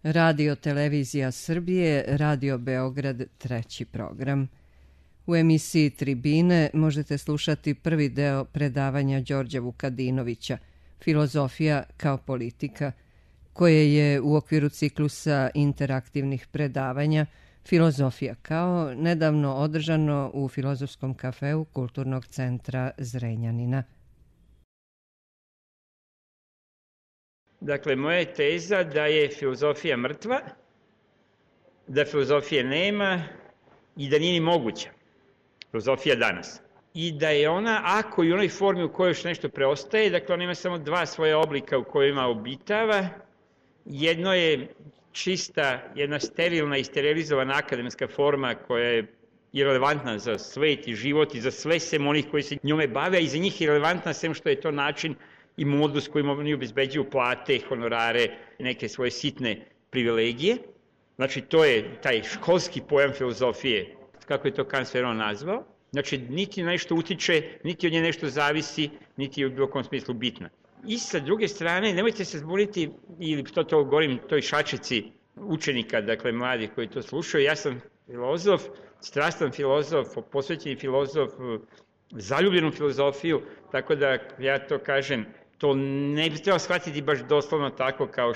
Radio Televizija Srbije, Radio Beograd, treći program. U emisiji Tribine možete slušati prvi deo predavanja Đorđa Vukadinovića, Filozofija kao politika, koje je u okviru ciklusa interaktivnih predavanja Filozofija kao nedavno održano u Filozofskom kafeu Kulturnog centra Zrenjanina. Dakle, moja je teza da je filozofija mrtva, da filozofije nema i da nije ni moguća. Filozofija danas. I da je ona, ako i u onoj formi u kojoj još nešto preostaje, dakle, ona ima samo dva svoja oblika u kojima obitava. Jedno je čista, jedna sterilna i sterilizovana akademska forma koja je irelevantna za svet i život i za sve sem onih koji se njome bave, a i za njih je irelevantna sem što je to način i modus kojim oni obezbeđuju plate, honorare i neke svoje sitne privilegije. Znači, to je taj školski pojam filozofije, kako je to Kant sve nazvao. Znači, niti nešto utiče, niti od nje nešto zavisi, niti je u bilo kom smislu bitna. I sa druge strane, nemojte se zbuniti, ili to govorim toj šačici učenika, dakle mladih koji to slušaju, ja sam filozof, strastan filozof, posvećeni filozof, zaljubljen u filozofiju, tako da ja to kažem, to ne bi trebalo shvatiti baš doslovno tako kao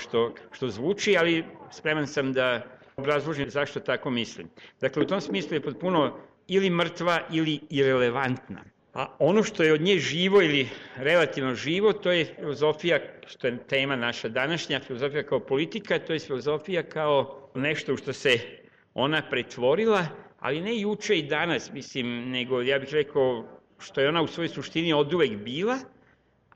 što zvuči, ali spreman sam da obrazložim zašto tako mislim. Dakle, u tom smislu je potpuno ili mrtva ili irelevantna. A ono što je od nje živo ili relativno živo, to je filozofija, što je tema naša današnja, filozofija kao politika, to je filozofija kao nešto u što se ona pretvorila, ali ne juče i danas, mislim, nego ja bih rekao što je ona u svojoj suštini oduvek bila,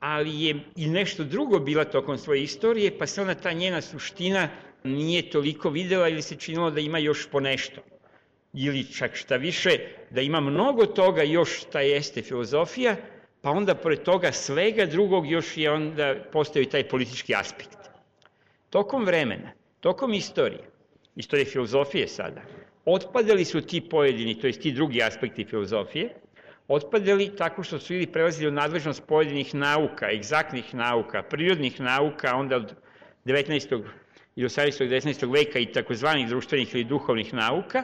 ali je i nešto drugo bila tokom svoje istorije, pa se ona ta njena suština nije toliko videla ili se činilo da ima još po nešto. Ili čak šta više, da ima mnogo toga još šta jeste filozofija, pa onda pored toga svega drugog još je onda postoji taj politički aspekt. Tokom vremena, tokom istorije filozofije sada, otpadali su ti pojedini, to jest ti drugi aspekti filozofije, otpadali tako što su ili prelazili u nadležnost pojedinih nauka, egzaktnih nauka, prirodnih nauka, onda od 19. i 18. i 19. veka i takozvanih društvenih ili duhovnih nauka,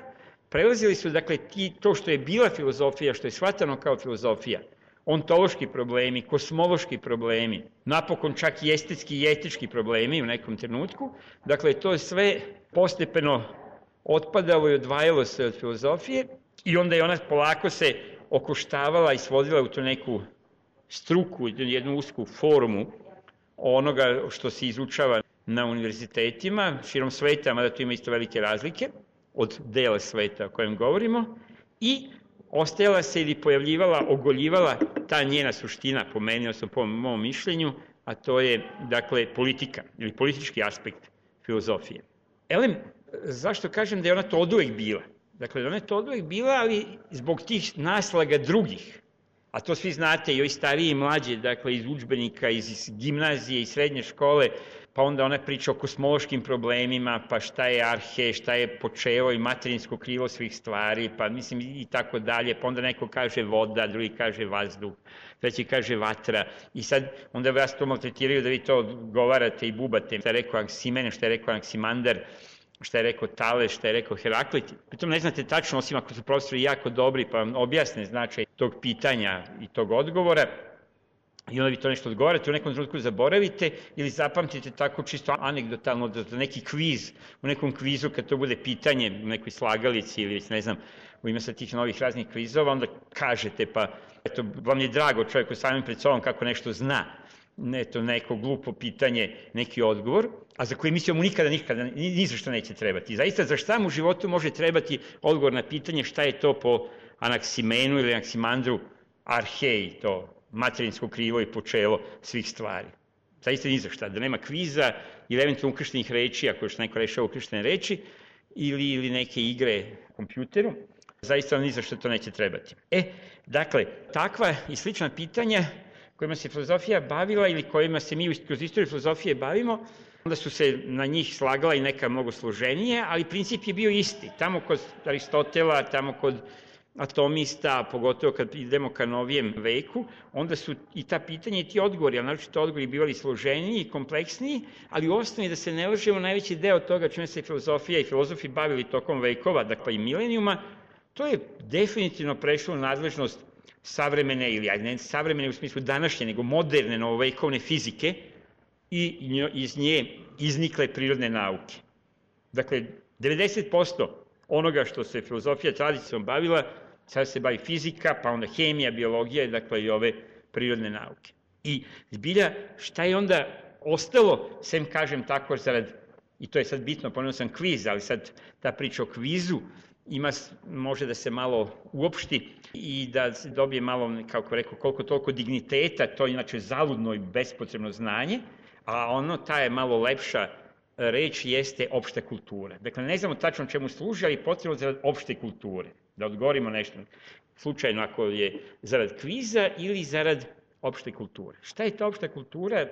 prelazili su, dakle, to što je bila filozofija, što je shvatano kao filozofija, ontološki problemi, kosmološki problemi, napokon čak i estetski i etički problemi u nekom trenutku, dakle, to je sve postepeno otpadalo i odvajalo se od filozofije i onda je ona polako se okoštavala i svodila u tu neku struku, jednu usku formu onoga što se izučava na univerzitetima, širom sveta, mada tu ima isto velike razlike od dela sveta o kojem govorimo, i ostajala se ili pojavljivala, ogoljivala ta njena suština, po meni, odnosno po mom mišljenju, a to je, dakle, politika ili politički aspekt filozofije. Elem, zašto kažem da je ona to oduvek bila? Dakle, ona je to oduvek bila, ali zbog tih naslaga drugih, a to svi znate, i ovi stariji i mlađe, dakle, iz udžbenika, iz gimnazije i srednje škole, pa onda ona priča o kosmološkim problemima, pa šta je arhe, šta je počelo i materinsko krilo svih stvari, pa mislim i tako dalje, pa onda neko kaže voda, drugi kaže vazduh, treći kaže vatra, i sad onda vas to maltretiraju da vi to govarate i bubate, šta je rekao Anksimen, šta je rekao Anksimander, šta je rekao Tales, šta je rekao Heraklit. Pritom ne znate tačno, osim ako su profesori jako dobri, pa vam objasne značaj tog pitanja i tog odgovora, i onda vi to nešto odgovarate, u nekom trenutku zaboravite ili zapamtite tako čisto anegdotalno da neki kviz, u nekom kvizu kad to bude pitanje u nekoj slagalici ili ne znam, u ime sa tih novih raznih kvizova, onda kažete pa eto, vam je drago čovjeku samim pred sobom kako nešto zna, eto, neko glupo pitanje, neki odgovor, a za koje mislimo mu nikada, ni za što neće trebati. Zaista, za šta mu u životu može trebati odgovor na pitanje šta je to po Anaksimenu ili Anaksimandru arhej, to materinsko krilo i počelo svih stvari. Zaista ni za šta, da nema kviza ili eventualno ukrštenih reči, ako još neko rešava ukrštene reči, ili neke igre kompjuteru, zaista ni za što to neće trebati. Dakle, takva i slična pitanja kojima se filozofija bavila ili kojima se mi kroz istoriju filozofije bavimo, onda su se na njih slagala i neka mnogo složenije, ali princip je bio isti. Tamo kod Aristotela, tamo kod atomista, pogotovo kad idemo ka novijem veku, onda su i ta pitanja i ti odgovori, ali naročito odgovori bivali složeniji i kompleksniji, ali u osnovi da se ne lažemo, najveći deo toga čime se filozofija i filozofi bavili tokom vekova, dakle i milenijuma, to je definitivno prešlo u nadležnost savremene, ili ne savremene u smislu današnje, nego moderne novovekovne fizike i iz nje iznikle prirodne nauke. Dakle, 90% onoga što se filozofija tradicionalno bavila, sada se bavi fizika, pa onda hemija, biologija, dakle i ove prirodne nauke. I zbilja, šta je onda ostalo, sem kažem tako, i to je sad bitno, pomenuo sam kviz, ali sad ta priča o kvizu može da se malo uopšti i da se dobije malo, kako rekao, koliko toliko digniteta, to je inače zaludno i bespotrebno znanje, a ta je malo lepša reč jeste opšta kultura. Dakle, ne znamo tačno čemu služi, ali potrebno zarad opšte kulture. Da odgovorimo nešto slučajno ako je zarad kviza ili zarad opšte kulture. Šta je ta opšta kultura?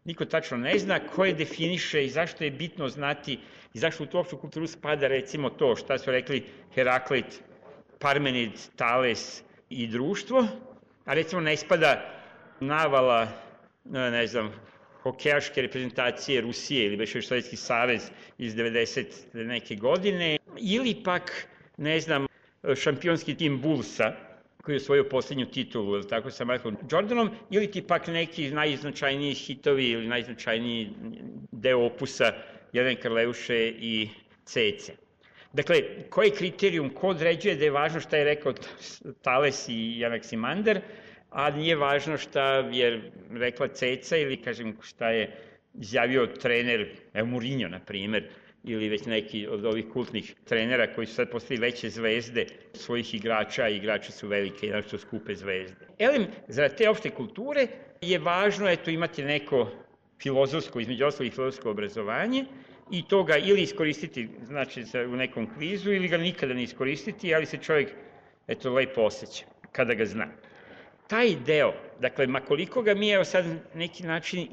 Niko tačno ne zna, ko je definiše i zašto je bitno znati i zašto u tu opštu kulturu spada recimo to šta su rekli Heraklit, Parmenid, Tales i društvo, a recimo ne spada navala, ne znam, hokejaške reprezentacije Rusije ili već Sovjetski savez iz 90 neke godine, ili pak, ne znam, šampionski tim Bullsa, koji je osvojio posljednju titulu, ili tako, sa Michaelom Jordanom, ili ti pak neki najznačajniji hitovi ili najznačajniji deo opusa Jelene Karleuše i Cece. Dakle, koji je kriterijum, ko određuje da je važno šta je rekao Tales i Anaksimander, a nije važno šta je rekla Ceca ili, kažem, šta je izjavio trener, Mourinho, na primer, ili već neki od ovih kultnih trenera koji su sad postali veće zvezde svojih igrača, i igrači su velike i našto skupe zvezde. Elem, zarad te opšte kulture je važno imati neko filozofsko, između ostalih filozofsko obrazovanje i to ga ili iskoristiti, znači u nekom kvizu, ili ga nikada ne iskoristiti, ali se čovjek, lepo osjeća kada ga zna. Taj deo, dakle, makoliko ga mi sad neki način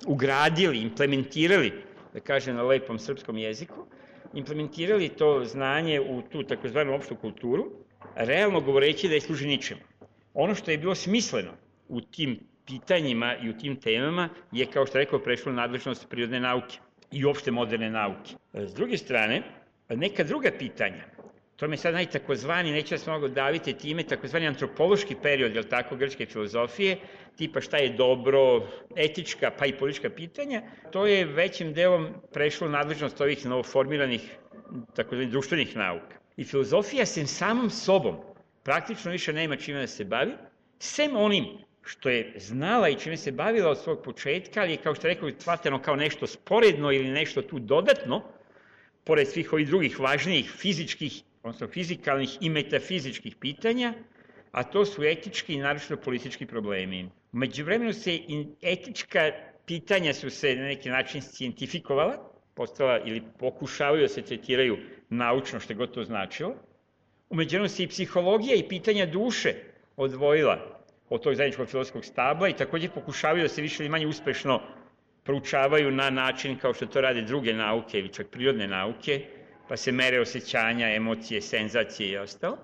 ugradili, implementirali, da kažem na lepom srpskom jeziku, implementirali to znanje u tu takozvanu opštu kulturu, realno govoreći da je služi ničemu. Ono što je bilo smisleno u tim pitanjima i u tim temama je, kao što rekao, prešlo nadležnost prirodne nauke i uopšte moderne nauke. S druge strane, neka druga pitanja, to me sad takozvani, neću da se mnogo daviti time, takozvani antropološki period, jel tako, grčke filozofije, tipa šta je dobro, etička pa i politička pitanja, to je većim delom prešlo nadležnost ovih novoformiranih takozvanih društvenih nauka. I filozofija sem samom sobom praktično više nema čime da se bavi, sem onim što je znala i čime se bavila od svog početka, ali je, kao što rekao, shvateno kao nešto sporedno ili nešto tu dodatno, pored svih ovih drugih važnijih fizičkih, odnosno fizikalnih i metafizičkih pitanja, a to su etički i naročito politički problemi. U međuvremenu etička pitanja su se na neki način scientifikovala, postala ili pokušavaju da se tretiraju naučno, što je god to značilo. U međuvremenu se i psihologija i pitanja duše odvojila od tog zajedničkog filozofskog stabla i takođe pokušavaju da se više ili manje uspešno proučavaju na način kao što to rade druge nauke ili čak prirodne nauke, pa se mere osjećanja, emocije, senzacije i ostalo.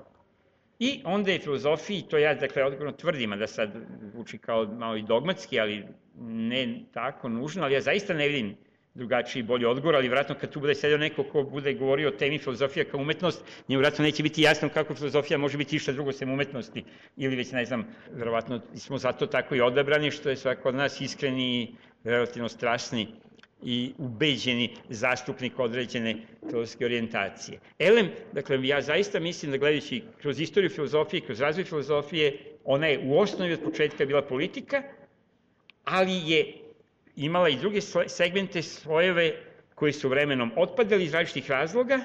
I onda je filozofiji, to ja odgovorno tvrdim, a da sad zvuči kao malo i dogmatski, ali ne tako nužno, ali ja zaista ne vidim drugačiji i bolji odgovor, ali vjerojatno kad tu bude sedio neko ko bude govorio o temi filozofija kao umetnost, njemu vjerojatno neće biti jasno kako filozofija može biti išta drugo sem umetnosti, ili već ne znam, vjerojatno smo zato tako i odabrani, što je svako od nas iskreni i relativno strasni i ubeđeni zastupnik određene filozofske orijentacije. Elem, dakle, ja zaista mislim da gledajući kroz istoriju filozofije, kroz razvoj filozofije, ona je u osnovi od početka bila politika, ali je imala i druge segmente, slojeve koji su vremenom otpadali iz različitih razloga,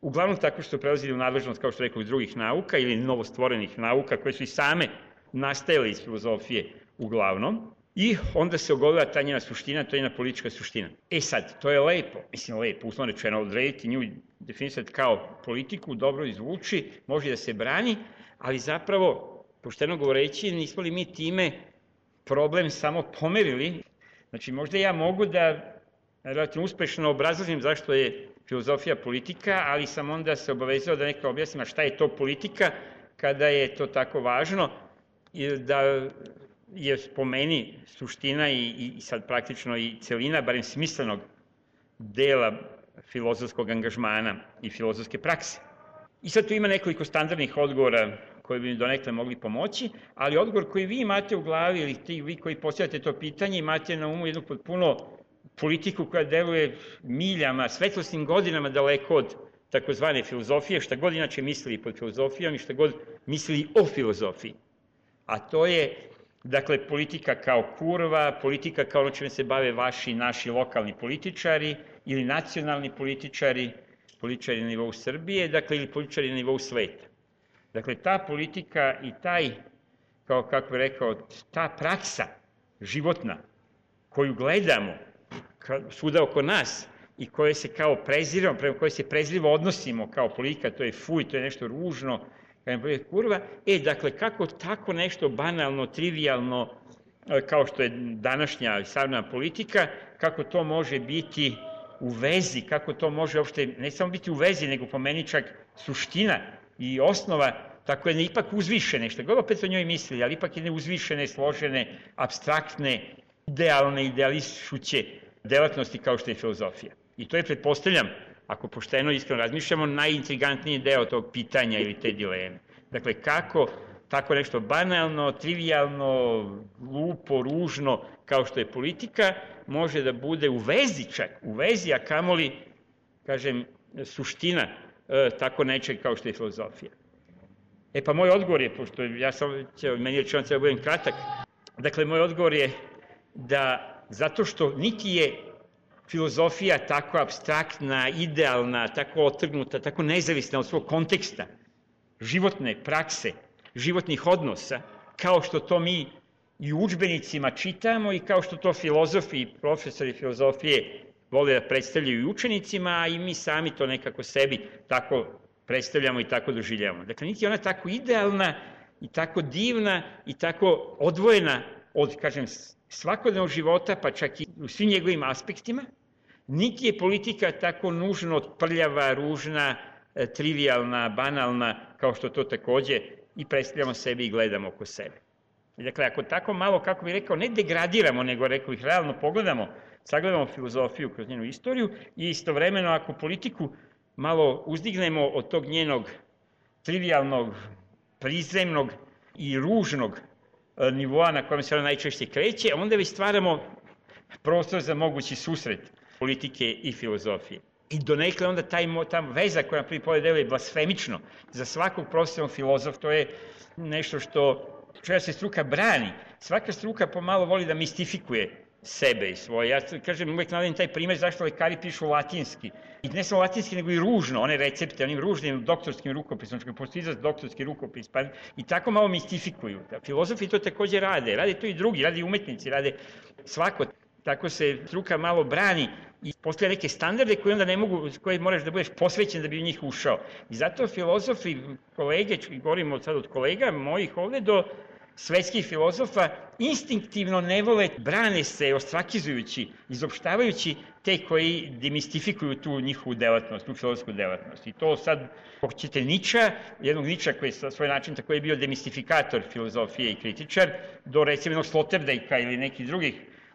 uglavnom tako što su prelazili u nadležnost, kao što rekao, drugih nauka ili novostvorenih nauka koje su i same nastajale iz filozofije uglavnom. I onda se ogolila ta njena suština, to je njena politička suština. Sad, to je lepo, uslovno rečeno, odrediti nju, definisati kao politiku, dobro izvuči, može da se brani, ali zapravo, pošteno govoreći, nismo li mi time problem samo pomerili. Znači, možda ja mogu da relativno uspešno obrazložim zašto je filozofija politika, ali sam onda se obavezao da neka objasnim šta je to politika, kada je to tako važno, da je po meni suština i sad praktično i celina, barem smislenog dela filozofskog angažmana i filozofske prakse. I sad tu ima nekoliko standardnih odgovora koji bi mi donekle mogli pomoći, ali odgovor koji vi imate u glavi ili vi koji postavljate to pitanje imate na umu jednu potpuno politiku koja deluje miljama, svetlosnim godinama daleko od takozvane filozofije, šta god inače mislili pod filozofijom i šta god mislili o filozofiji. A to je, dakle, politika kao kurva, politika kao ono čime se bave vaši, naši lokalni političari ili nacionalni političari, političari na nivou Srbije, dakle, ili političari na nivou sveta. Dakle, ta politika i taj, kako bih rekao, ta praksa životna koju gledamo svuda oko nas i koje se kao preziramo, prema koje se prezrivo odnosimo kao politika, to je fuj, to je nešto ružno, kurva, dakle, kako tako nešto banalno, trivijalno, kao što je današnja savremena politika, kako to može biti u vezi, kako to može uopšte, ne samo biti u vezi, nego po meni čak suština i osnova, tako je ipak uzvišene, što god opet o njoj mislili, ali ipak jedne uzvišene, složene, apstraktne, idealne, ideališuće delatnosti kao što je filozofija. I to je, pretpostavljam, ako pošteno iskreno razmišljamo, najintrigantniji deo tog pitanja ili te dileme. Dakle, kako tako nešto banalno, trivijalno, glupo, ružno, kao što je politika, može da bude u vezi čak, u vezi, a kamoli, kažem, suština tako nečeg kao što je filozofija. Pa moj odgovor je, pošto meni rečeno treba budem kratak, dakle, moj odgovor je da zato što niti je filozofija tako apstraktna, idealna, tako otrgnuta, tako nezavisna od svog konteksta, životne prakse, životnih odnosa, kao što to mi i u udžbenicima čitamo i kao što to filozofi i profesori filozofije vole da predstavljaju i učenicima, a i mi sami to nekako sebi tako predstavljamo i tako doživljavamo. Dakle, niti je ona tako idealna i tako divna i tako odvojena od, kažem, svakodnevnog života, pa čak i u svim njegovim aspektima, niti je politika tako nužno prljava, ružna, trivijalna, banalna, kao što to takođe i predstavljamo sebi i gledamo oko sebe. Dakle, ako tako malo, kako bih rekao, ne degradiramo, nego rekao ih realno pogledamo, sagledamo filozofiju kroz njenu istoriju i istovremeno ako politiku malo uzdignemo od tog njenog trivijalnog, prizemnog i ružnog nivoa na kojem se ona najčešće kreće, onda već stvaramo prostor za mogući susret politike i filozofije. I donekle onda ta veza koja na prvi pogled deluje blasfemično za svakog profesionalnog filozofa, to je nešto čega se struka brani. Svaka struka pomalo voli da mistifikuje sebe i svoje. Ja kažem, uvek navodim taj primer zašto lekari pišu latinski. I ne samo latinski, nego i ružno, one recepte, onim ružnim doktorskim rukopisom, što je postoji izraz doktorski rukopis, i tako malo mistifikuju. Filozofi to takođe rade to i drugi, rade i umetnici, rade svako. Tako se struka malo brani i postoje neke standarde koje onda ne mogu, koje moraš da budeš posvećen da bi u njih ušao. I zato filozofi, kolege, govorimo sad od kolega mojih ovde do svetskih filozofa, instinktivno ne vole, brane se ostrakizujući, izopštavajući te koji demistifikuju tu njihovu delatnost, tu filozofsku delatnost. I to sad, hoćete Niča, jednog Niča koji je na svoj način tako je bio demistifikator filozofije i kritičar, do recimo jednog Sloterdijka ili nekih drugih,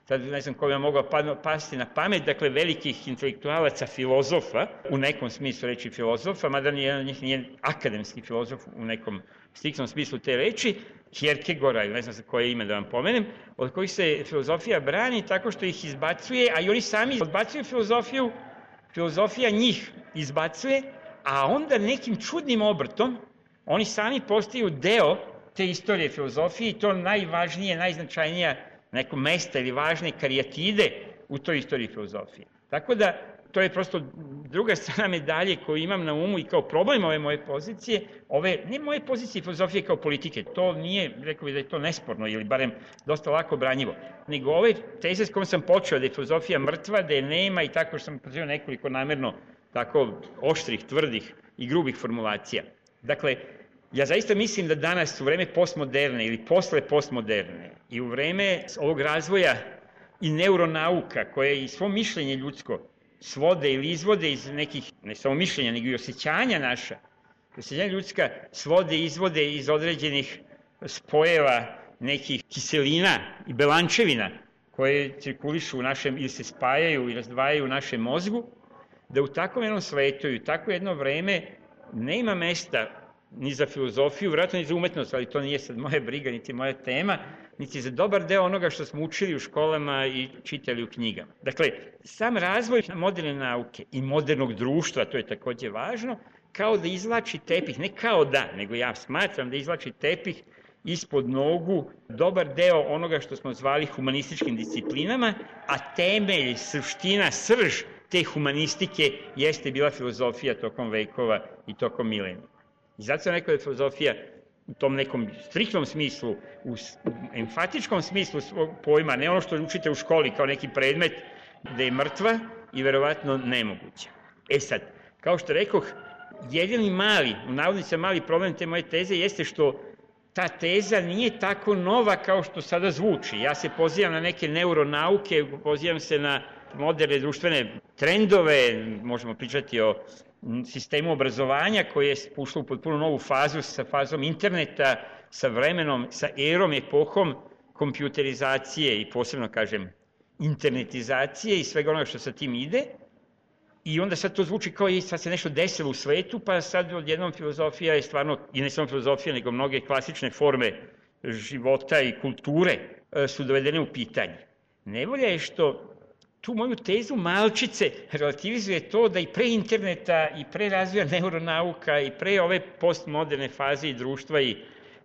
sad ne znam ko bi vam mogao pasti na pamet, dakle velikih intelektualaca filozofa, u nekom smislu reči filozofa, mada jedan od njih nije akademski filozof u nekom striktnom smislu te reči, Kierkegaarda, ili ne znam koje ime da vam pomenem, od kojih se filozofija brani tako što ih izbacuje, a i oni sami odbacuju filozofiju, filozofija njih izbacuje, a onda nekim čudnim obrtom oni sami postaju deo te istorije filozofije i to najvažnije, najznačajnija neko mesta ili važne karijatide u toj istoriji filozofije. Tako da, to je prosto druga strana medalje koju imam na umu i kao problem ove moje pozicije, ne moje pozicije filozofije kao politike, to nije, rekao bih da je to nesporno ili barem dosta lako branjivo, nego ove teze s kojom sam počeo da je filozofija mrtva, da je nema i tako što sam pozivao nekoliko namerno tako oštrih, tvrdih i grubih formulacija. Dakle, ja zaista mislim da danas u vreme postmoderne ili posle postmoderne i u vreme ovog razvoja i neuronauka koje i svo mišljenje ljudsko svode ili izvode iz nekih, ne samo mišljenja, nego i osjećanja naša, Presađenja ljudska svode i izvode iz određenih spojeva nekih kiselina i belančevina koje cirkulišu u našem, ili se spajaju i razdvajaju u našem mozgu, da u takvom jednom svetu i u takvo jedno vreme nema mesta ni za filozofiju, vjerojatno ni za umetnost, ali to nije sad moja briga, niti moja tema, niti za dobar deo onoga što smo učili u školama i čitali u knjigama. Dakle, sam razvoj moderne nauke i modernog društva, to je takođe važno, kao da izvlači tepih, ne kao da, nego ja smatram da izvlači tepih ispod nogu dobar deo onoga što smo zvali humanističkim disciplinama, a temelj, suština, srž te humanistike jeste bila filozofija tokom vekova i tokom milenija. I zato sam rekao da je filozofija u tom nekom striktnom smislu, u emfatičkom smislu svog pojma, ne ono što učite u školi kao neki predmet, da je mrtva i verovatno nemoguća. E sad, kao što rekoh, jedini mali, u navodnicima mali problem te moje teze jeste što ta teza nije tako nova kao što sada zvuči. Ja se pozivam na neke neuronauke, pozivam se na moderne društvene trendove, možemo pričati o sistemu obrazovanja koje je ušlo u potpuno novu fazu sa fazom interneta, sa vremenom, sa erom, epohom kompjuterizacije i posebno, kažem, internetizacije i svega onoga što sa tim ide. I onda sad to zvuči kao i sad se nešto desilo u svetu, pa sad odjednom filozofija je stvarno, i ne samo filozofija, nego mnoge klasične forme života i kulture su dovedene u pitanje. Nevolja je što tu moju tezu malčice relativizuje to da i pre interneta, i pre razvoja neuronauka, i pre ove postmoderne faze i društva i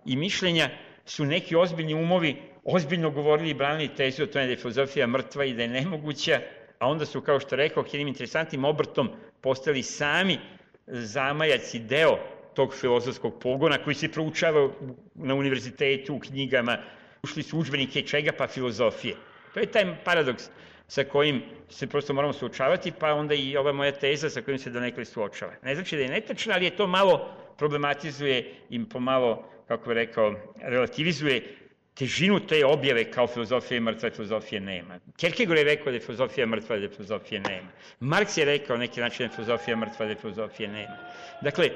mišljenja su neki ozbiljni umovi ozbiljno govorili i branili tezu o tome da je filozofija mrtva i da je nemoguća, a onda su, kao što rekao, jednim interesantnim obrtom postali sami zamajac i deo tog filozofskog pogona koji se proučava na univerzitetu, u knjigama, ušli su udžbenike čega, pa filozofije. To je taj paradoks sa kojim se prosto moramo suočavati, pa onda i ova moja teza sa kojim se donekle suočava. Ne znači da je netačna, ali je to malo problematizuje i pomalo, kako je rekao, relativizuje težinu te objave kao filozofija je mrtva, filozofije nema. Kierkegaard je rekao da je filozofija mrtva, da je filozofije nema. Marks je rekao neki način da je filozofija mrtva, da je filozofije nema. Dakle,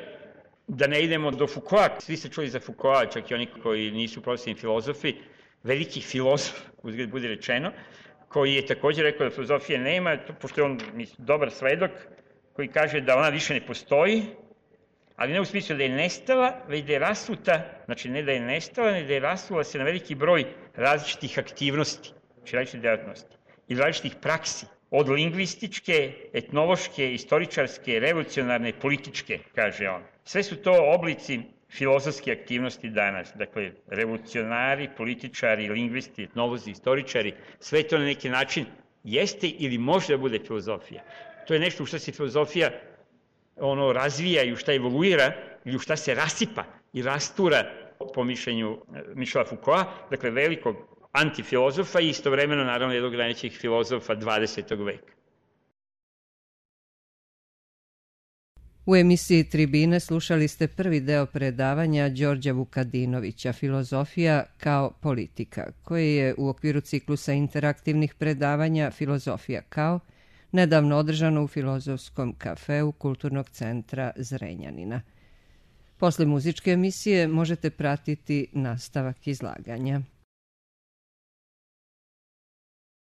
da ne idemo do Foucaulta, svi ste čuli za Foucaulta, čak i oni koji nisu profesionalni filozofi, veliki filozof, uzgled bude rečeno, koji je takođe rekao da filozofije nema, pošto je on dobar svedok, koji kaže da ona više ne postoji, ali ne u smislu da je nestala, već da je rasuta, znači ne da je nestala, ne da je rasula se na veliki broj različitih aktivnosti, znači različitih djelatnosti i različitih praksi, od lingvističke, etnološke, istoričarske, revolucionarne, političke, kaže on. Sve su to oblici filozofske aktivnosti danas, dakle, revolucionari, političari, lingvisti, etnolozi, istoričari, sve to na neki način jeste ili može da bude filozofija. To je nešto u što se filozofija razvija i u šta evoluira ili u šta se rasipa i rastura po mišljenju Michela Foucaulta, dakle velikog antifilozofa i istovremeno naravno jednog najvećih filozofa 20. veka. U emisiji Tribine slušali ste prvi deo predavanja Đorđa Vukadinovića Filozofija kao politika, koji je u okviru ciklusa interaktivnih predavanja Filozofija kao nedavno održano u Filozofskom kafeu Kulturnog centra Zrenjanina. Posle muzičke emisije možete pratiti nastavak izlaganja.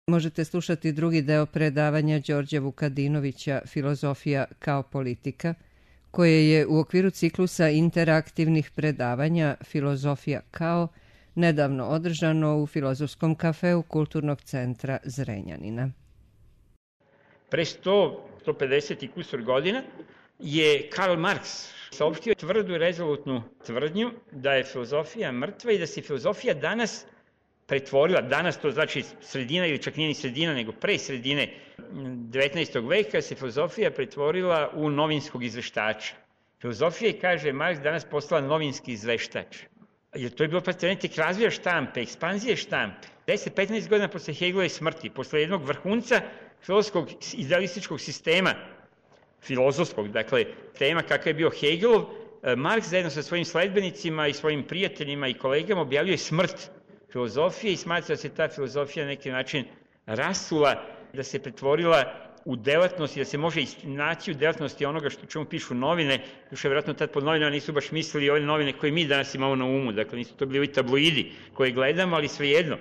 Možete slušati drugi deo predavanja Đorđa Vukadinovića Filozofija kao politika, koje je u okviru ciklusa interaktivnih predavanja Filozofija kao nedavno održano u Filozofskom kafeu Kulturnog centra Zrenjanina. Pre 150 i kusur godina je Karl Marx saopštio tvrdu i rezolutnu tvrdnju da je filozofija mrtva i da se filozofija danas pretvorila, danas to znači sredina ili čak nije ni sredina, nego pre sredine 19. veka se filozofija pretvorila u novinskog izveštača. Filozofija je, kaže Marks, danas postala novinski izveštač. Jer to je bilo tek razvija štampe, ekspanzije štampe. 10-15 godina posle Hegelove smrti, posle jednog vrhunca filozofskog idealističkog sistema, filozofskog, dakle, tema kakav je bio Hegelov, Marks zajedno sa svojim sledbenicima i svojim prijateljima i kolegama objavljuje smrt filozofije i smatra da se ta filozofija na neki način rasula, da se pretvorila u delatnosti, da se može naći u delatnosti onoga što čemu pišu novine, još je vjerojatno tad pod novinama nisu baš mislili ove novine koje mi danas imamo na umu, dakle nisu to bili ovi tabloidi koje gledamo, ali svejedno,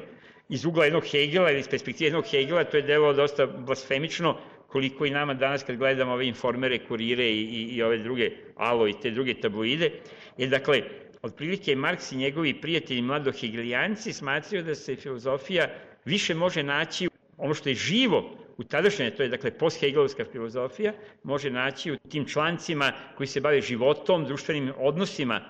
iz ugla jednog Hegela ili iz perspektive jednog Hegela, to je delovalo dosta blasfemično, koliko i nama danas kad gledamo ove Informere, Kurire i ove druge Alo i te druge tabloide, jer dakle, otprilike Marks i njegovi prijatelji mladohegelijanci smatraju da se filozofija više može naći, ono što je živo u tadašnje, to je dakle post-hegelovska filozofija, može naći u tim člancima koji se bave životom, društvenim odnosima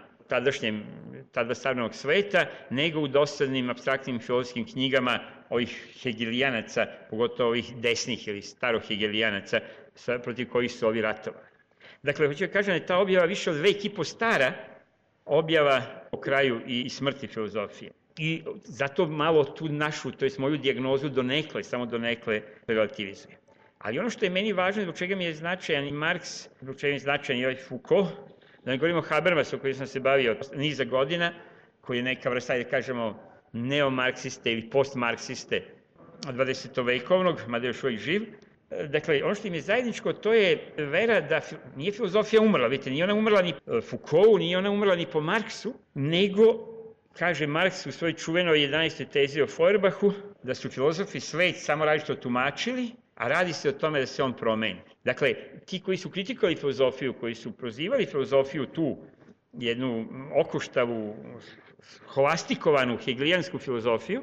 tada savremenog sveta, nego u dosadnim, apstraktnim filozofskim knjigama ovih hegelijanaca, pogotovo ovih desnih ili starohegelijanaca, protiv kojih su ovi ratovali. Dakle, hoću da kažem da je ta objava više od 2,5 stara objava o kraju i smrti filozofije. I zato malo tu našu, to je moju dijagnozu samo donekle relativizuje. Ali ono što je meni važno, zbog čega mi je značajan i Marks, zbog čega mi je značajan i ovaj Foucault, da ne govorimo o Habermasu, koji sam se bavio niza godina, koji je neka vrsta, da kažemo, neomarksiste ili postmarksiste 20. vekovnog, mada je još uvijek živ. Dakle, ono što im je zajedničko, to je vera da nije filozofija umrla, vidite, nije ona umrla ni Foucaultu, nije ona umrla ni po Marksu, nego, kaže Marks u svojoj čuvenoj 11. tezi o Feuerbachu, da su filozofi svet samo različito tumačili, a radi se o tome da se on promeni. Dakle, ti koji su kritikovali filozofiju, koji su prozivali filozofiju tu jednu okoštavu, holastikovanu hegelijansku filozofiju,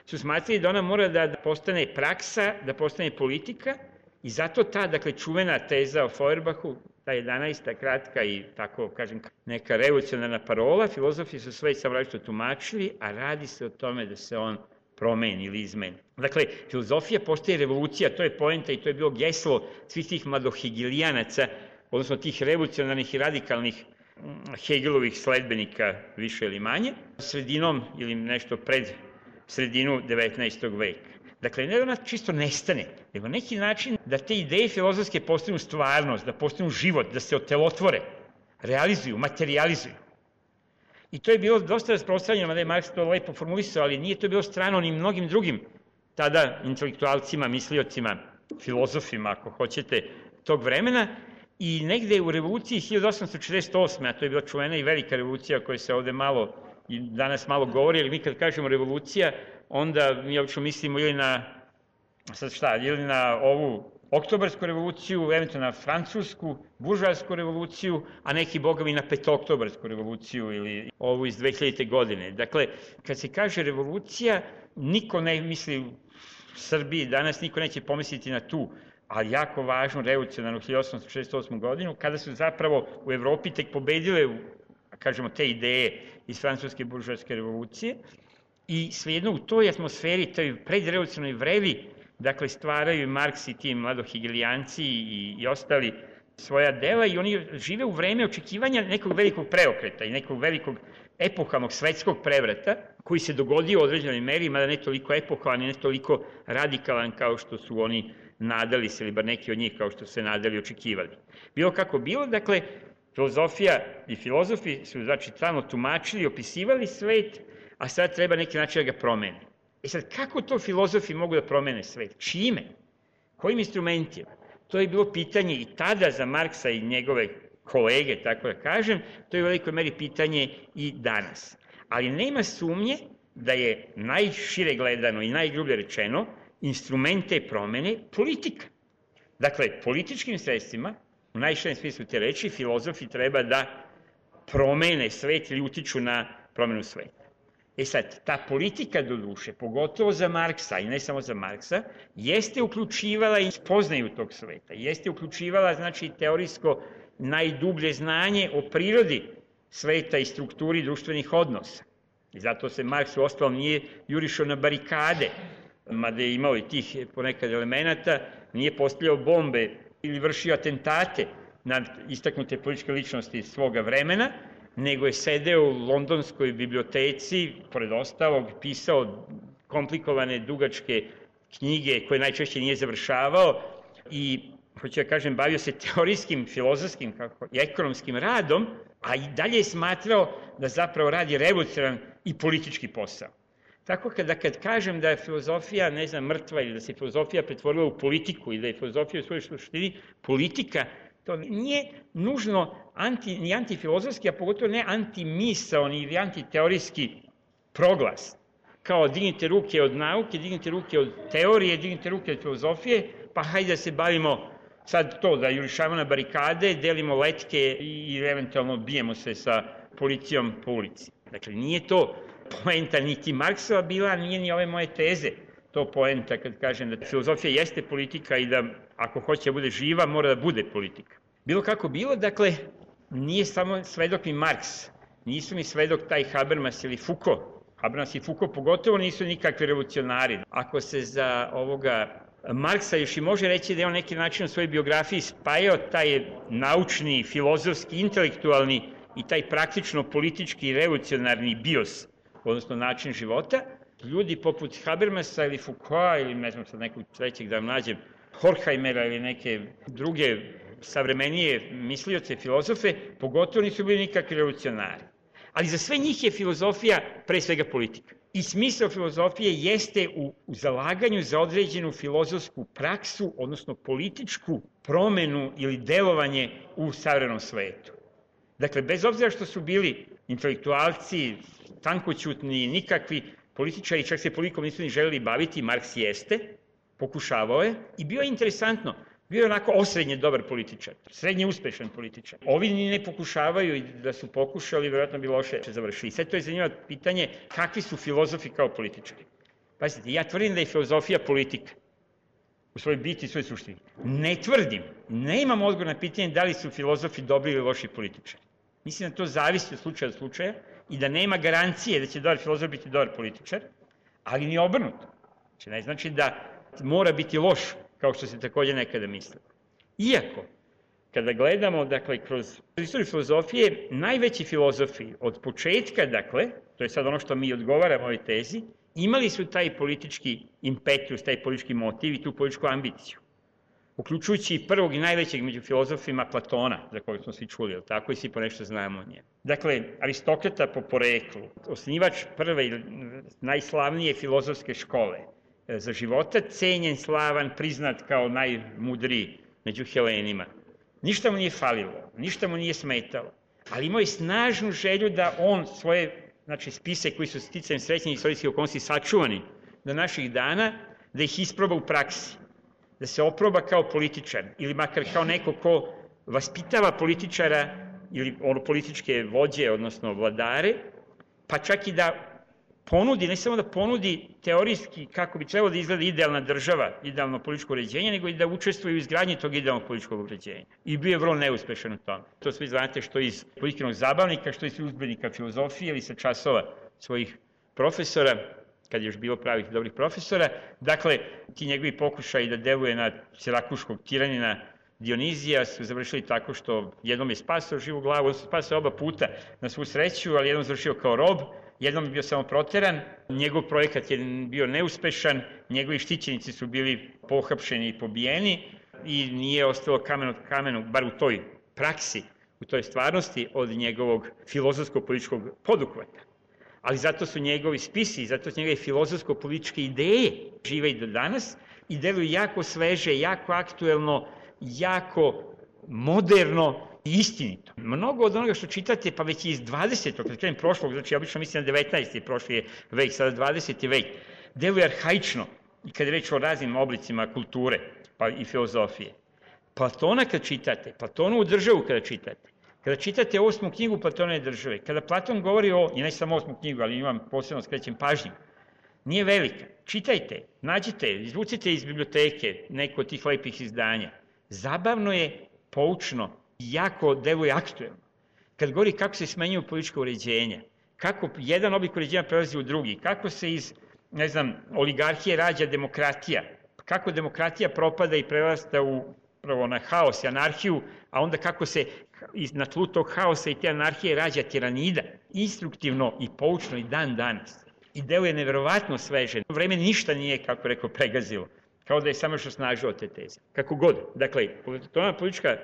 su smatrali da ona mora da postane praksa, da postane politika i zato ta, dakle, čuvena teza o Feuerbachu, ta 11. kratka i tako, kažem, neka revolucionarna parola, filozofi su sve samo različito tumačili, a radi se o tome da se on promeni ili izmeni. Dakle, filozofija postaje revolucija, to je poenta i to je bilo geslo svih tih mladohegelijanaca, odnosno tih revolucionarnih i radikalnih Hegelovih sledbenika, više ili manje, sredinom ili nešto pred sredinu 19. veka. Dakle, ne da ona čisto nestane, nego neki način da te ideje filozofske postanu stvarnost, da postanu život, da se otelotvore, realizuju, materializuju. I to je bilo dosta rasprostranjeno, mada je Marks to lepo formulisao, ali nije to bilo strano ni mnogim drugim tada intelektualcima, misliocima, filozofima, ako hoćete, tog vremena. I negde u revoluciji 1848. a to je bila čuvena i velika revolucija koja se ovde malo i danas malo govori, ali mi kad kažemo revolucija, onda mi obično mislimo ili na ovu oktobarsku revoluciju, eventualno na francusku, buržoasku revoluciju, a neki bogovi na petooktobarsku revoluciju ili ovu iz 2000. godine. Dakle, kad se kaže revolucija, niko ne misli u Srbiji, danas niko neće pomisliti na tu, ali jako važnu revolucionarnu 1868. godinu, kada su zapravo u Evropi tek pobedile, kažemo, te ideje iz francuske buržoaske revolucije i svejedno u toj atmosferi, toj predrevolucionarnoj vrevi, dakle, stvaraju Marks i ti mladohegelijanci i ostali svoja dela i oni žive u vreme očekivanja nekog velikog preokreta i nekog velikog epohalnog svetskog prevrata koji se dogodio u određenoj meri, mada ne toliko epohalan i ne toliko radikalan kao što su oni nadali se, ili bar neki od njih kao što se nadali i očekivali. Bilo kako bilo, dakle, filozofija i filozofi su, znači, stalno tumačili, opisivali svet, a sad treba neki način da ga promene. E sad, kako to filozofi mogu da promene svet? Čime? Kojim instrumentima? To je bilo pitanje i tada za Marksa i njegove kolege, tako da kažem, to je u velikoj meri pitanje i danas. Ali nema sumnje da je najšire gledano i najgrublje rečeno instrumente promene politika. Dakle, političkim sredstvima, u najširem smislu te reči, filozofi treba da promene svet ili utiču na promenu sveta. E sad, ta politika do duše, pogotovo za Marksa i ne samo za Marksa, jeste uključivala i spoznaju tog sveta, jeste uključivala, znači, teorijsko najdublje znanje o prirodi sveta i strukturi društvenih odnosa. I zato se Marks u ostalom nije jurišao na barikade, mada je imao i tih ponekad elemenata, nije postavljao bombe ili vršio atentate na istaknute političke ličnosti svoga vremena, nego je sedeo u londonskoj biblioteci, pored ostalog, pisao komplikovane, dugačke knjige koje najčešće nije završavao i, hoću da kažem, bavio se teorijskim, filozofskim i ekonomskim radom, a i dalje je smatrao da zapravo radi revolucionaran i politički posao. Tako kad kažem da je filozofija, ne znam, mrtva ili da se filozofija pretvorila u politiku ili da je filozofija u svojoj suštini politika, to nije nužno ni antifilozofski, a pogotovo ne antimisaoni ili antiteorijski proglas. Kao dignite ruke od nauke, dignite ruke od teorije, dignite ruke od filozofije, pa hajde da se bavimo sad to, da jurišamo na barikade, delimo letke i eventualno bijemo se sa policijom po ulici. Dakle, nije to poenta niti Marksova bila, nije ni ove moje teze to poenta kad kažem da filozofija jeste politika i da ako hoće da bude živa, mora da bude politika. Bilo kako bilo, dakle, nije samo svedok ni Marks, nisu ni svedok taj Habermas ili Foucault. Habermas i Foucault pogotovo nisu nikakvi revolucionari. Ako se za ovoga Marksa još i može reći da je on neki način u svojoj biografiji spajao taj naučni, filozofski, intelektualni i taj praktično politički revolucionarni bios, odnosno način života, ljudi poput Habermasa ili Foucaulta ili ne znam sad nekog trećeg da nađem, Horkheimera ili neke druge savremenije mislioce, filozofe, pogotovo nisu bili nikakvi revolucionari. Ali za sve njih je filozofija pre svega politika. I smisao filozofije jeste u zalaganju za određenu filozofsku praksu, odnosno političku promenu ili delovanje u savremenom svetu. Dakle, bez obzira što su bili intelektualci, tankoćutni, nikakvi političari, čak se politikom nisu ni želeli baviti, Marks jeste, pokušavao je i bio je interesantno. Bio je onako osrednje dobar političar, srednje uspešan političar. Ovi ni ne pokušavaju i da su pokušali, vjerojatno bi loše završili. Sve to je zanimljivo pitanje kakvi su filozofi kao političari. Pazite, ja tvrdim da je filozofija politika u svojoj biti i svojoj suštini. Ne tvrdim, ne imam odgovor na pitanje da li su filozofi dobri ili loši političari. Mislim da to zavisi od slučaja do slučaja i da nema garancije da će dobar filozof biti dobar političar, ali ni obrnuto. Znači, ne znači da mora biti loš, kao što se takođe nekada misli. Iako, kada gledamo, dakle, kroz istoriju filozofije, najveći filozofi od početka, dakle, to je sad ono što mi odgovaramo ovoj tezi, imali su taj politički impetus, taj politički motiv i tu političku ambiciju. Uključujući i prvog i najvećeg među filozofima Platona, za koga smo svi čuli, tako i svi po nešto znamo o njemu. Dakle, Aristokrata po poreklu, osnivač prve i najslavnije filozofske škole za života, cenjen, slavan, priznat kao najmudriji među Helenima. Ništa mu nije falilo, ništa mu nije smetalo, ali imao je snažnu želju da on svoje, znači, spise koji su sticajem srećnih istorijskih okolnosti sačuvani do naših dana, da ih isproba u praksi, da se oproba kao političar ili makar kao neko ko vaspitava političara ili političke vođe, odnosno vladare, pa čak i da ponudi, ne samo da ponudi teorijski kako bi trebalo da izgleda idealna država, idealno političko uređenje, nego i da učestvuje u izgradnji tog idealnog političkog uređenja. I bio je vrlo neuspešan u tome. To svi znate što iz političkog zabavnika, što iz udžbenika filozofije ili sa časova svojih profesora, kad je još bilo pravih dobrih profesora. Dakle, ti njegovi pokušaji da deluje na sirakuškog tiranina Dionizija su završili tako što jednom je spasao živu glavu, on se spasao oba puta na svu sreću, ali jednom završio kao rob, jednom je bio samo proteran, njegov projekat je bio neuspešan, njegovi štićenici su bili pohapšeni i pobijeni i nije ostalo kamen od kamenu, bar u toj praksi, u toj stvarnosti, od njegovog filozofsko-političkog poduhvata. Ali zato su njegovi spisi, zato su njegove filozofsko-političke ideje žive i do danas i deluju jako sveže, jako aktuelno, jako moderno i istinito. Mnogo od onoga što čitate, pa već iz 20. kad krenem prošlog, znači ja obično mislim na 19. prošli je vek, sada 20. vek, deluje arhaično i kad je reč o raznim oblicima kulture pa i filozofije. Platona kad čitate, Platonovu državu kada čitate 8. knjigu Platonove države, kada Platon govori o, i ne samo 8. knjigu, ali imam posebno skrećem pažnju, nije velika. Čitajte, nađite, izvucite iz biblioteke neko od tih lepih izdanja. Zabavno je, poučno, jako deluje aktuelno. Kad govori kako se smenjuju politička uređenja, kako jedan oblik uređenja prelazi u drugi, kako se iz, ne znam, oligarhije rađa demokratija, kako demokratija propada i prerasta upravo na haos i anarhiju, a onda kako se na tlu tog haosa i te anarhije rađa tiranida, instruktivno i poučno i dan danas. I deluje neverovatno sveže. Vreme ništa nije, kako rekao, pregazilo. Kao da je samo još osnažilo te teze. Kako god. Dakle, politička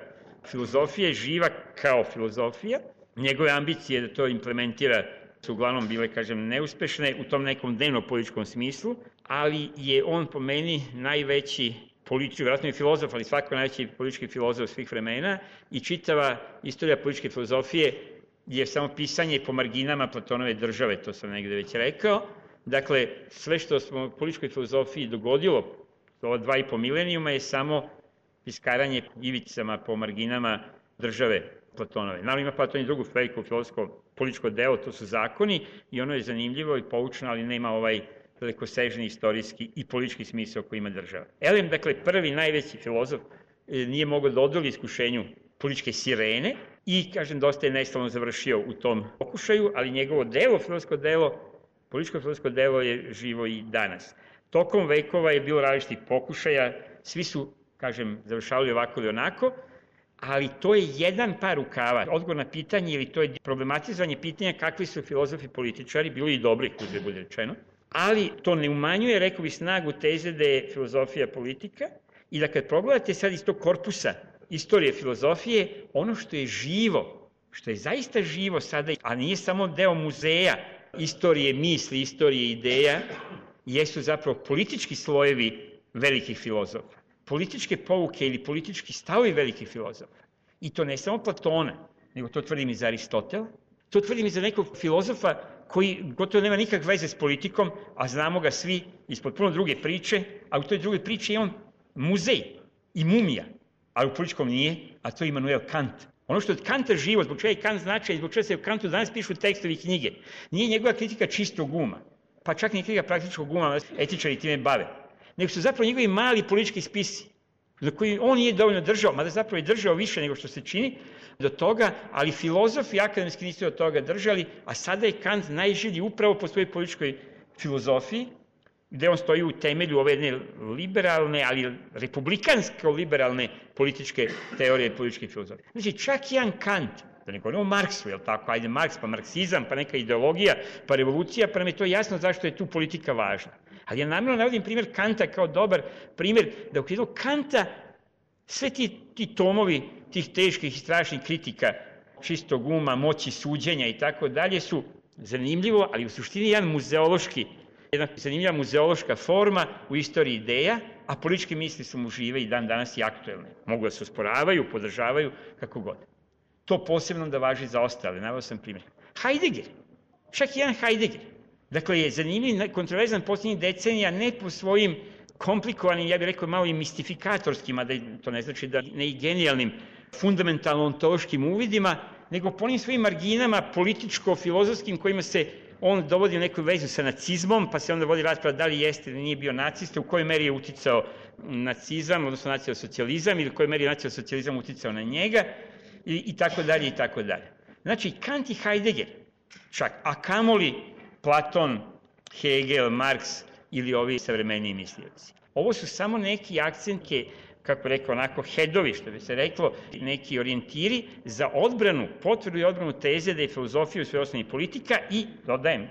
filozofija je živa kao filozofija. Njegove ambicije da to implementira su uglavnom bile, kažem, neuspešne u tom nekom dnevno-političkom smislu, ali je on po meni najveći politički, vjerojatno i filozof, ali svako najveći politički filozof svih vremena i čitava istorija političke filozofije je samo pisanje po marginama Platonove države, to sam negde već rekao. Dakle, sve što smo u političkoj filozofiji dogodilo ova 2,5 milenijuma je samo piskaranje ivicama po marginama države Platonove. Naravno ima Platon i drugu veliku filozofsko političko delo, to su zakoni i ono je zanimljivo i poučno, ali nema ovaj dalekosežni istorijski i politički smisao koji ima država. Elem, dakle, prvi najveći filozof nije mogao da odoli iskušenju političke sirene i, kažem, dosta je neslavno završio u tom pokušaju, ali njegovo delo, političko filozofsko delo je živo i danas. Tokom vekova je bilo različitih pokušaja, svi su, kažem, završavali ovako ili onako, ali to je jedan par rukava. Odgovor na pitanje ili to je problematizovanje pitanja kakvi su filozofi političari, bili i dobri, uzre bude rečeno, ali to ne umanjuje, rekao bih, snagu teze da je filozofija politika i da kad pogledate sad iz tog korpusa istorije filozofije, ono što je živo, što je zaista živo sada, a nije samo deo muzeja istorije misli, istorije ideja, jesu zapravo politički slojevi velikih filozofa, političke pouke ili politički stavovi velikih filozofa. I to ne samo Platona, nego to tvrdim i za Aristotela, to tvrdim i za nekog filozofa koji gotovo nema nikakve veze s politikom, a znamo ga svi iz potpuno druge priče, a u toj drugoj priči je on muzej i mumija, ali u političkom nije, a to je Immanuel Kant. Ono što je od Kanta živo, zbog čega je Kant značaj, zbog čega se u Kantu danas pišu tekstovi i knjige, nije njegova kritika čistog uma, pa čak ni kritika praktičkog uma, etičari time bave, nego su zapravo njegovi mali politički spisi, za koji on nije dovoljno držao, mada zapravo je držao više nego što se čini do toga, ali filozofi akademski nisu od toga držali, a sada je Kant najželji upravo po svojoj političkoj filozofiji, gde on stoji u temelju ove jedne liberalne, ali republikansko-liberalne političke teorije i političke filozofije. Znači, čak jedan Kant, da ne govorimo o Marksu, jel tako, ajde Marks, pa marksizam, pa neka ideologija, pa revolucija, pa nam je to jasno zašto je tu politika važna. Ali ja namjerno navodim primjer Kanta kao dobar primjer, da u okviru Kanta sve ti tomovi tih teških i strašnih kritika čistog uma, moći suđenja i tako dalje su zanimljivo, ali u suštini jedna zanimljiva muzeološka forma u istoriji ideja, a političke misli su mu žive i dan danas i aktuelne. Mogu da se osporavaju, podržavaju, kako god. To posebno da važi za ostale, naveo sam primjer. Heidegger, čak jedan Heidegger, dakle je zanimljiv, kontroverzan posljednjih decenija, ne po svojim komplikovanim, ja bih rekao malo i mistifikatorskим, a da to ne znači da ne i genijalnim, fundamentalno-ontološkim uvidima, nego po onim svojim marginama političko-filozofskim kojima se on dovodi u neku vezu sa nacizmom, pa se onda vodi rasprava da li jeste ili nije bio nacista, u kojoj meri je uticao nacizam, odnosno nacionalsocijalizam, ili u kojoj meri je nacionalsocijalizam uticao na njega, i tako dalje, i tako dalje. Znači, Kant i Heidegger, čak, a kamoli Platon, Hegel, Marks ili ovi savremeniji mislioci. Ovo su samo neki akcenti, kako rekao, onako headovi, što bi se reklo, neki orijentiri za odbranu, potvrdu i odbranu teze da je filozofija u svojoj osnovi politika i, dodajem,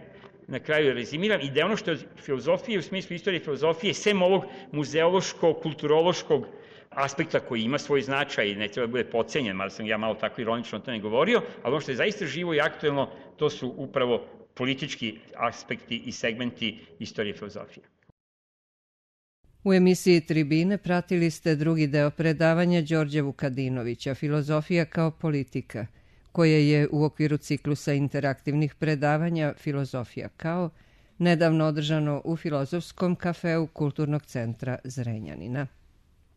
na kraju rezimiram, i da je ono što je filozofija u smislu istorije filozofije, sem ovog muzeološkog, kulturološkog aspekta koji ima svoj značaj i ne treba da bude podcenjen, mada sam ja malo tako ironično o tome govorio, ali ono što je zaista živo i aktuelno, to su upravo politički aspekti i segmenti istorije filozofije. U emisiji Tribine pratili ste drugi deo predavanja Đorđa Vukadinovića, Filozofija kao politika, koje je u okviru ciklusa interaktivnih predavanja Filozofija kao nedavno održano u Filozofskom kafeu Kulturnog centra Zrenjanina.